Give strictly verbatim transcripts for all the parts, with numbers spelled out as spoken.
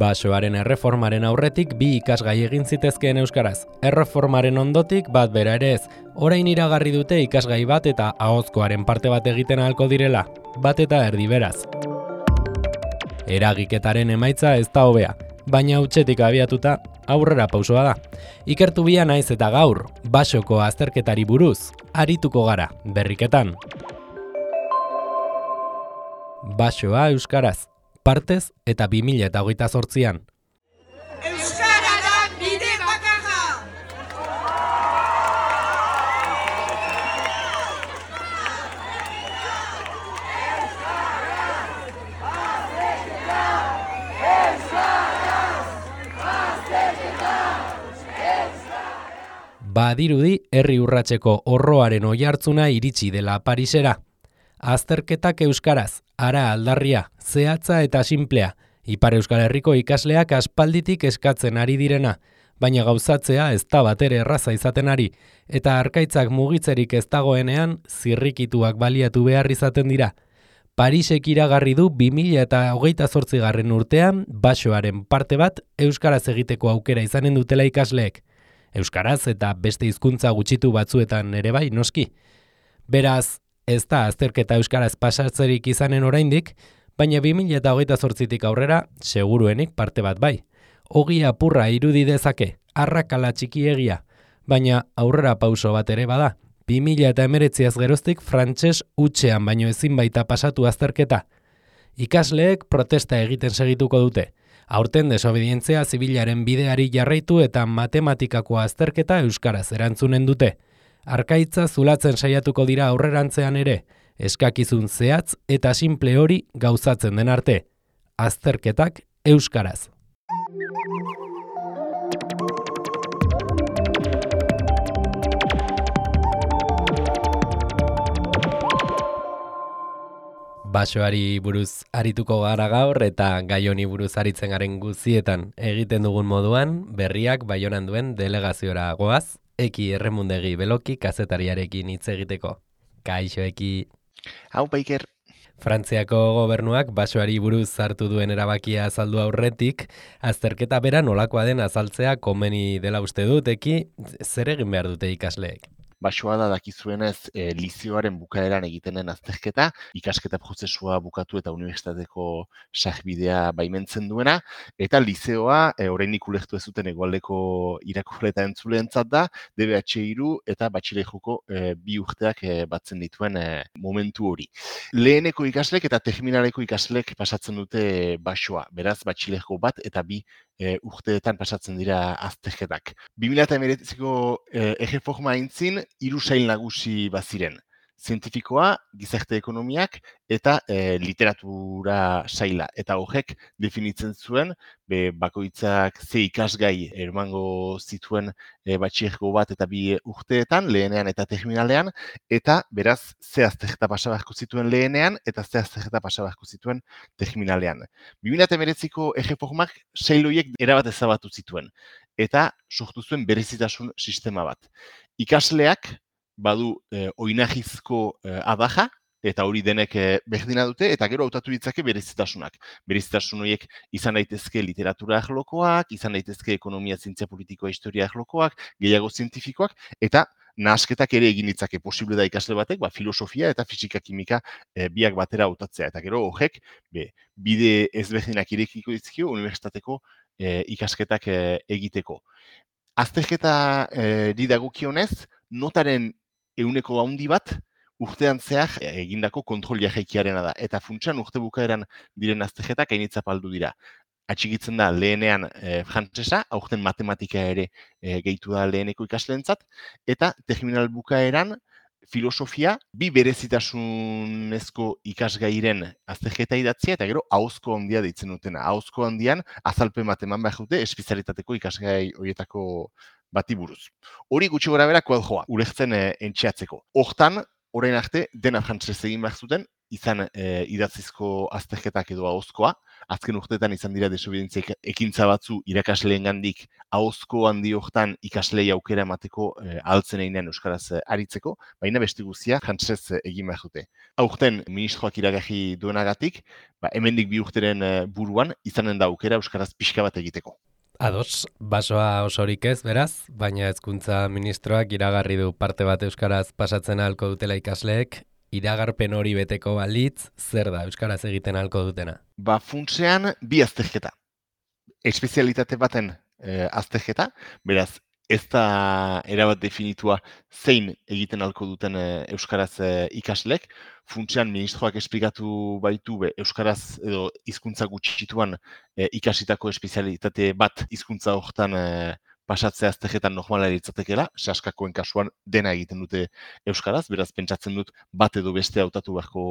Basoaren erreformaren aurretik bi ikasgai egin zitezkeen euskaraz. Erreformaren ondotik bat bera ere ez. Orain iragarri dute ikasgai bat eta ahozkoaren parte bat egiten ahalko direla. Bat eta erdi beraz. Eragiketaren emaitza ez da hobea, baina hutsetik abiatuta aurrera pausoa da. Ikertu bia naiz eta gaur, basoko azterketari buruz, arituko gara, berriketan. Basoa euskaraz, partez eta bi mila hogeita zortzian. Euskara da bide bakarra! Badirudi herri urratseko horroaren oihartzuna iritsi dela Parisera. Azterketak euskaraz, ara aldarria, zehatza eta sinplea, Ipar Euskal Herriko ikasleak aspalditik eskatzen ari direna, baina gauzatzea ez da batere erraza izaten ari, eta arkaitzak mugitzerik ez dagoenean zirrikituak baliatu behar izaten dira. Parisek iragarri du bi mila hogeita zortzigarren urtean basoaren parte bat euskaraz egiteko aukera izanen dutela ikasleek. Euskaraz eta beste hizkuntza gutxitu batzuetan ere bai noski. Beraz, ez da azterketa euskaraz pasatzerik izanen oraindik, baina bi mila hogeita zortzitik aurrera seguruenik parte bat bai. Ogi apurra irudi dezake, arrakala txikiegia, baina aurrera pauso bat ere bada. bi mila hemeretziaz geroztik frantses hutsean baino ezin baita pasatu azterketa. Ikasleek protesta egiten segituko dute. Aurten desobedientzia zibilaren bideari jarraitu eta matematikako azterketa euskaraz erantzunen dute. Arkaitza zulatzen saiatuko dira aurrerantzean ere, eskakizun zehatz eta simple hori gauzatzen den arte. Azterketak euskaraz. Basoari buruz arituko gara gaur eta gai honi buruz aritzen garen guzietan egiten dugun moduan, berriak Baionan duen delegaziora goaz, Eki Erremundegi Beloki kazetariarekin hitz egiteko. Kaixo Eki. Hau Baiker. Frantziako gobernuak basoari buruz hartu duen erabakia azaldu aurretik, azterketa bera nolakoa den azaltzea komeni dela uste dut, Eki, zer egin behar dute ikasleek? Basoa da dakizuenez e, lizioaren bukaeran egiten den azterketa, ikasketa prozesua bukatu eta unibertsitateko sarbidea baimentzen duena, eta lizeoa e, oraindik ulertu ez duten hegoaldeko irakurle eta entzuleentzat da, D B H hiru eta batxilergoko e, bi urteak e, batzen dituen e, momentu hori. Leheneko ikaslek eta terminaleko ikaslek pasatzen dute basoa, beraz batxilergo bat eta bi e, urteetan pasatzen dira azterketak. bi mila hemeretziko e, erreforma aintzin, hiru sail nagusi baziren. Zientifikoa, gizarte ekonomiak eta e, literatura saila. Eta horrek definitzen zuen, be, bakoitzak ze ikasgai emango zituen e, batxilergo bat eta bi urteetan, lehenean eta terminalean, eta beraz ze azterketa pasa beharko zituen lehenean eta ze azterketa pasa beharko zituen terminalean. bi mila hemeretziko erreformak sail horiek erabat ezabatu zituen, eta sortu zuen berezitasun sistema bat. Ikasleak badu e, oinarrizko e, adaja, eta hori denek e, berdina dute, eta gero hautatu ditzake berezitasunak. Berezitasun horiek izan daitezke literatura arlokoak, izan daitezke ekonomia, zientzia politikoa, historia arlokoak, gehiago zientifikoak, eta nahasketak ere egin ditzake posible da ikasle batek, ba, filosofia eta fisika kimika e, biak batera hautatzea. Eta gero horrek be, bide ezberdinak irekiko dizkio unibertsitateko e, ikasketak e, egiteko. Azterketa e, dagokionez, notaren ehuneko handi bat urtean zehar egindako kontrol jaikiarena da. Eta funtsan urte bukaeran diren azterketak hainitza paldu dira. Atxikitzen da lehenean e, frantsesa, aurten matematika ere e, gehitu da leheneko ikasleentzat, eta terminal bukaeran filosofia, bi berezitasunezko ikasgairen azterketa idatzia, eta gero ahozko handia deitzen dutena. Ahozko handian azalpen bat eman behar dute espezialitateko ikasgai horietako bati buruz. Hori gutxi gora bera koadjoa, ulertzen e, entxeatzeko. Hortan, orain arte, dena frantsesez egin behar zuten, izan e, idatzizko azterketak edo ahozkoa. Azken urteetan izan dira desobedientzia ekintza batzu irakasleengandik ahozko handi hortan ikaslei aukera emateko e, ahaltzen einean euskaraz e, aritzeko, baina beste guztia jantzez e, egin behar dute. Aurten ministroak iragarri duenagatik, ba, hemendik bi urteren e, buruan izanen da aukera euskaraz pixka bat egiteko. Ados, basoa osorik ez, beraz, baina hezkuntza ministroak iragarri du parte bat euskaraz pasatzen ahalko dutela ikasleek, iragarpen hori beteko balitz, zer da euskaraz egiten ahalko dutena? Ba, funtsean bi azterketa. Espezialitate baten e, azterketa, beraz, ez da erabat definitua zein egiten ahalko duten e, euskaraz e, ikaslek. Funtsean ministroak esplikatu baitu be, euskaraz edo hizkuntza gutxituan e, ikasitako espezialitate bat hizkuntza hortan e, pasatzea azterketan normala litzatekeela, saskakoen kasuan dena egiten dute euskaraz, beraz pentsatzen dut bat edo beste hautatu beharko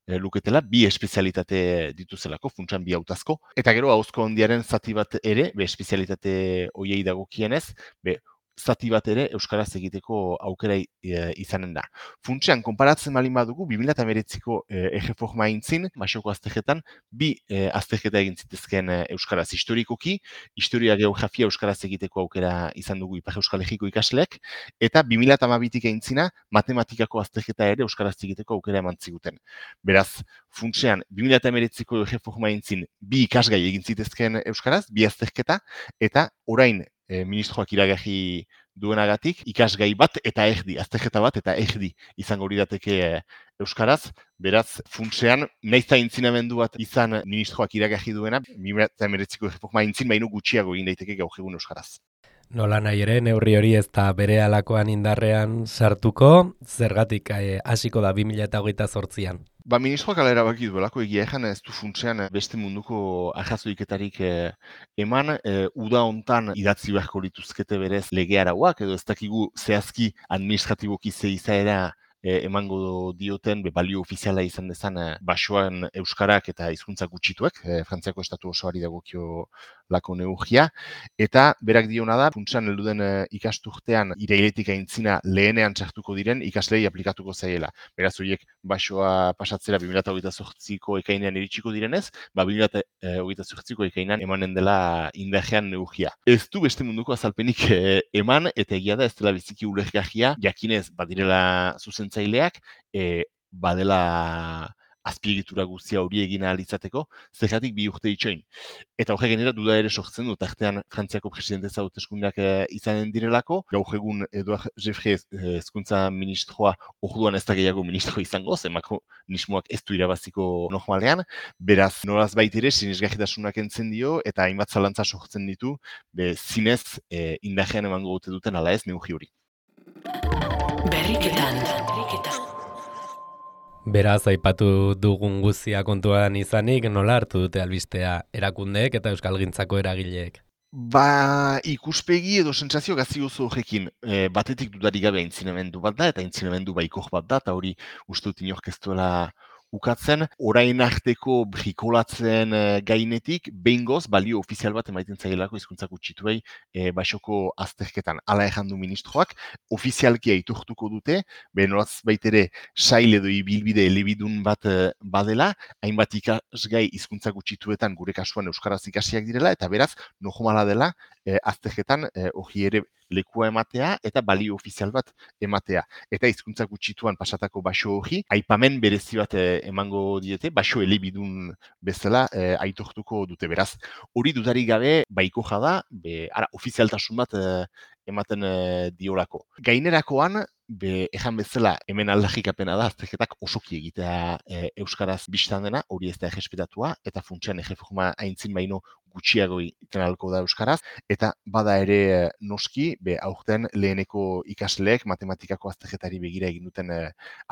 e, luketela, bi espezialitate dituzelako, funtsan bi hautazko. Eta gero ahozko handiaren zati bat ere, be espezialitate hoiei dagokienez, be zati bat ere euskaraz egiteko aukera e, izanen da. Funtsean, konparatzen balin badugu, bi mila hemeretziko e, erreforma aintzin, basoko azterketan, bi e, azterketa egin zitezkeen e, euskaraz historikoki, historia geografia euskaraz egiteko aukera izan dugu Ipar Euskal Herriko ikasleek, eta bi mila hamabitik aintzina, matematikako azterketa ere euskaraz egiteko aukera eman ziguten. Beraz, funtsean, bi mila hemeretziko erreforma aintzin, bi ikasgai egin zitezkeen euskaraz, bi azterketa, eta orain, E, ministroak iragarri duenagatik, ikasgai bat eta erdi, azterketa bat eta erdi izango lirateke e, euskaraz, beraz, funtsean, nahiz eta intzinamendu bat izan ministroak iragarri duena, bi mila hemeretziko erreforma intzin baino gutxiago egin daiteke gaur egun euskaraz. Nola nahi ere, neurri hori ez da bere alakoan indarrean sartuko, zergatik eh, hasiko da bi mila hogeita zortzian. Ba, ministroak ala erabaki duelako egia ejan ez du funtsean beste munduko arrazoiketarik eh, eman, eh, uda hontan idatzi beharko lituzkete berez lege arauak, edo ez dakigu zehazki administratiboki ze izaera E, emango dioten be, balio ofiziala izan dezan e, basoan euskarak eta hizkuntza gutxituek, e, Frantziako estatu osoari dagokio lako neurria, eta berak diona da, funtsan helduden e, ikasturtean irailetik aintzina lehenean txartuko diren ikaslei aplikatuko zaiela. Beraz horiek basoa pasatzera bi mila hogeita zortziko ekainean iritsiko direnez, ba bi mila hogeita zortziko ekainean emanen dela indarrean neurria. Ez du beste munduko azalpenik e, eman, eta egia da ez dela biziki ulergarria, jakinez badirela zuzentzen zaileak, e, badela azpiegitura guztia hori egin ahal izateko, zergatik bi urte itxoin. Eta horrek genera duda ere sortzen dut, artean Frantziako presidenteza hauteskundeak e, izanen direlako, gaur egun Eduard Jeffrey hezkuntza ministroa orduan ez da gehiago ministro izango, ze makronismoak ez du irabaziko normalean, beraz nolaz bait ere sinesgarritasunak entzen dio, eta hainbat zalantza sortzen ditu, be zinez e, indarrean emango dute duten ala ez neurri hori. Berriketan. Beraz, aipatu dugun guztia kontuan izanik, nola hartu dute albistea erakundeek eta euskalgintzako eragileek? Ba, ikuspegi edo sentsazio gazi oso horrekin, e, batetik dudarik gabe aintzinamendu bat da, eta aintzinamendu baikor bat da, eta hori uste dut inork ez duela ukatzen, orain arteko brikolatzen e, gainetik, behingoz, balio ofizial bat emaiten zailako hizkuntza gutxituei e, basoko azterketan. Hala errandu ministroak, ofizialki aitortuko dute, benolaz baitere sail edo ibilbide elebidun bat e, badela, hainbat ikasgai hizkuntza gutxituetan gure kasuan euskaraz ikasiak direla, eta beraz, normala dela, e, azterketan hori e, ere lekua ematea eta balio ofizial bat ematea. Eta hizkuntza gutxituan pasatako baso hori, aipamen berezi bat e, emango diete, baso elebidun bezala e, aitortuko dute beraz. Hori dudarik gabe baiko jada, be, ara, ofizialtasun bat e, ematen e, diolako. Gainerakoan, be, ejan bezala hemen aldarrikapena da, azterketak osoki egitea e, euskaraz bistan dena, hori ez da errespetatua, eta funtsean erreforma aintzin baino gutxiago iten ahalko da euskaraz, eta bada ere noski, be, aurten leheneko ikasleek matematikako azterketari begira egin duten e,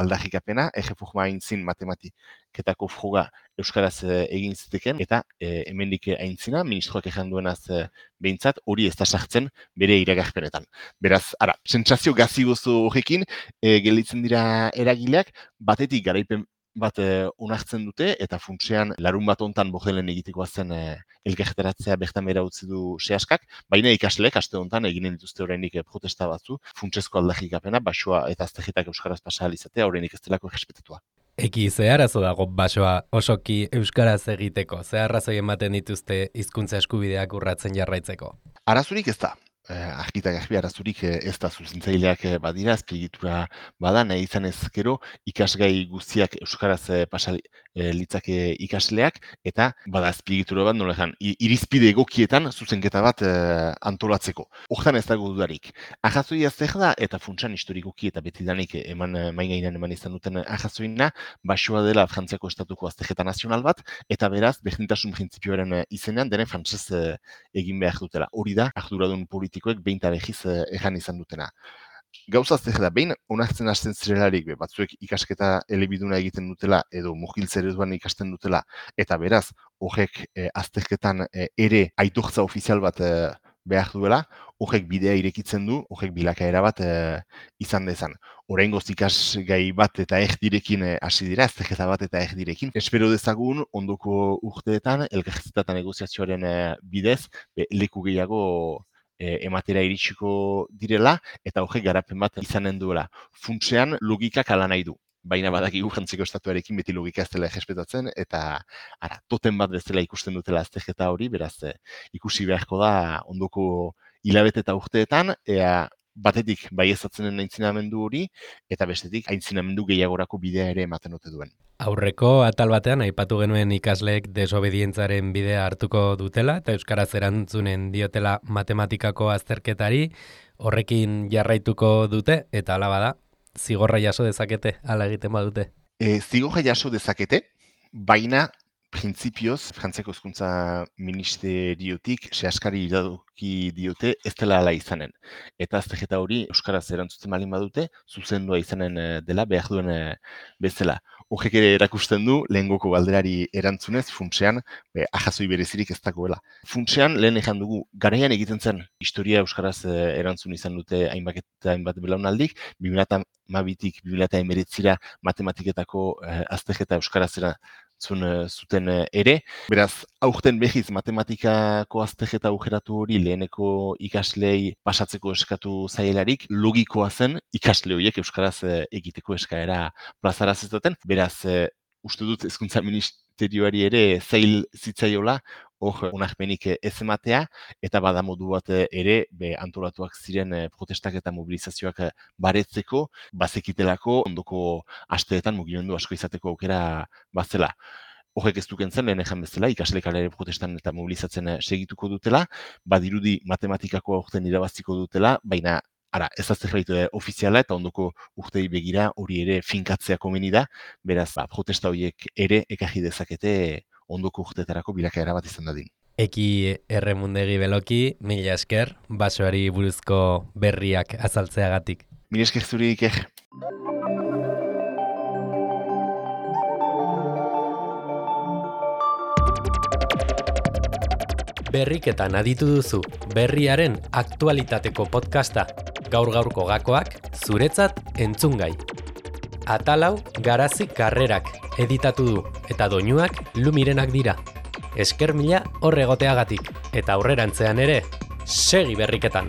aldarrikapena, erreforma aintzin matematiketako froga euskaraz e, egin ziteken, eta e, hemendik aintzina, ministroak ejan duenaz e, behintzat, hori ez da sartzen bere iragarpenetan. Beraz, ara, sentsazio gazi gozo horrekin, e, gelditzen dira eragileak, batetik garaipen bat e, onartzen dute, eta funtsean larun bat hontan bordelen egitekoa zen e, elkarretaratzea bertan bera utzi du sehaskak, baina ikasleek aste hontan eginen dituzte oraindik e, protesta batzu, funtsezko aldarrikapena, basoa eta azterketak euskaraz pasa ahal izatea oraindik ez delako errespetatua. Eki, ze arazo dago basoa osoki euskaraz egiteko? Ze arrazoi ematen dituzte hizkuntza eskubideak urratzen jarraitzeko? Arazurik ez da. Eh, argita garbi arazurik eh, ez da zuzentzaileak eh, badira, azpiegitura bada, nahi izan ez gero ikasgai guztiak euskaraz eh, pasa eh, litzake ikasleak, eta bada azpiegitura bat nola egan, irizpide egokietan zuzenketa bat eh, antolatzeko. Hortan ez dago dudarik. Ahazoia zer da, eta funtsan historikoki eta betidanik eman maingainan eman izan duten ahazoina, basoa dela Frantziako estatuko azterketa nazional bat, eta beraz, berdintasun printzipioaren izenean denen frantsez eh, egin behar dutela. Hori da, arduradun politikoek behin eta behiz eh, ejan izan dutena. Gauza zer da, behin onartzen hasten zirelarik, be, batzuek ikasketa elebiduna egiten dutela, edo mugiltze ereduan ikasten dutela, eta beraz, horrek eh, azterketan eh, ere aitortza ofizial bat eh, behar duela, horrek bidea irekitzen du, horrek bilakaera bat eh, izan dezan. Oraingoz ikasgai bat eta erdirekin hasi dira, azterketa bat eta erdirekin. Espero dezagun, ondoko urteetan, elkarrizketa eta negoziazioaren eh, bidez, be, leku gehiago e, ematera iritsiko direla, eta horrek garapen bat izanen duela. Funtsean logikak ala nahi du. Baina badakigu Frantziako estatuarekin beti logika ez dela errespetatzen, eta ara, toten bat bezala ikusten dutela azterketa hori, beraz eh, ikusi beharko da ondoko hilabete eta urteetan, ea batetik baiezatzenen aintzinamendu hori, eta bestetik aintzinamendu gehiagorako bidea ere ematen ote duen. Aurreko atal batean aipatu genuen ikasleek desobedientzaren bidea hartuko dutela, eta euskaraz erantzunen diotela matematikako azterketari, horrekin jarraituko dute, eta hala bada, zigorra jaso dezakete, hala egiten badute. E, zigorra jaso dezakete, baina printzipioz, Frantziako Hezkuntza Ministeriotik sehaskari iradoki diote ez dela hala izanen. Eta azterketa hori euskaraz erantzuten balin badute, zuzendua izanen dela behar duen bezala. Horrek ere erakusten du, lehengoko galderari erantzunez, funtsean, be, ahazoi berezirik ez dagoela. Funtsean, lehen ejan dugu, garaian egiten zen, historia euskaraz erantzun izan dute hainbat eta hainbat belaunaldik, bi mila hamabitik bi mila hemeretzira matematiketako eh, azterketa euskaraz erantzun zuten ere. Beraz, aurten behiz matematikako azterketa aukeratu hori leheneko ikaslei pasatzeko eskatu zaielarik, logikoa zen ikasle horiek euskaraz egiteko eskaera plazara zetaten. Beraz, uste dut Hezkuntza Ministerioari ere zail zitzaiola, hor onarpenik ez ematea, eta bada modu bat ere be, antolatuak ziren protestak eta mobilizazioak baretzeko, bazekitelako ondoko asteetan mugimendu asko izateko aukera bazela. Horrek ez duken zen, lehen ejan bezala, ikaslek ere protestan eta mobilizatzen segituko dutela, badirudi matematikako aurten irabaziko dutela, baina ara, ez da zerbait ofiziala eta ondoko urtei begira hori ere finkatzea komeni da, beraz, ba, protesta horiek ere ekarri dezakete ondoko urteetarako bilakaera bat izan dadin. Eki Erremundegi Beloki, mila esker, basoari buruzko berriak azaltzeagatik. Mila esker zuri, Iker. Berriketan aditu duzu, berriaren aktualitateko podcasta. Gaur-gaurko gakoak, zuretzat entzungai. Atalau Garazi Karrerak editatu du, eta doinuak Lumirenak dira. Esker mila horregoteagatik, eta aurrerantzean ere, segi berriketan.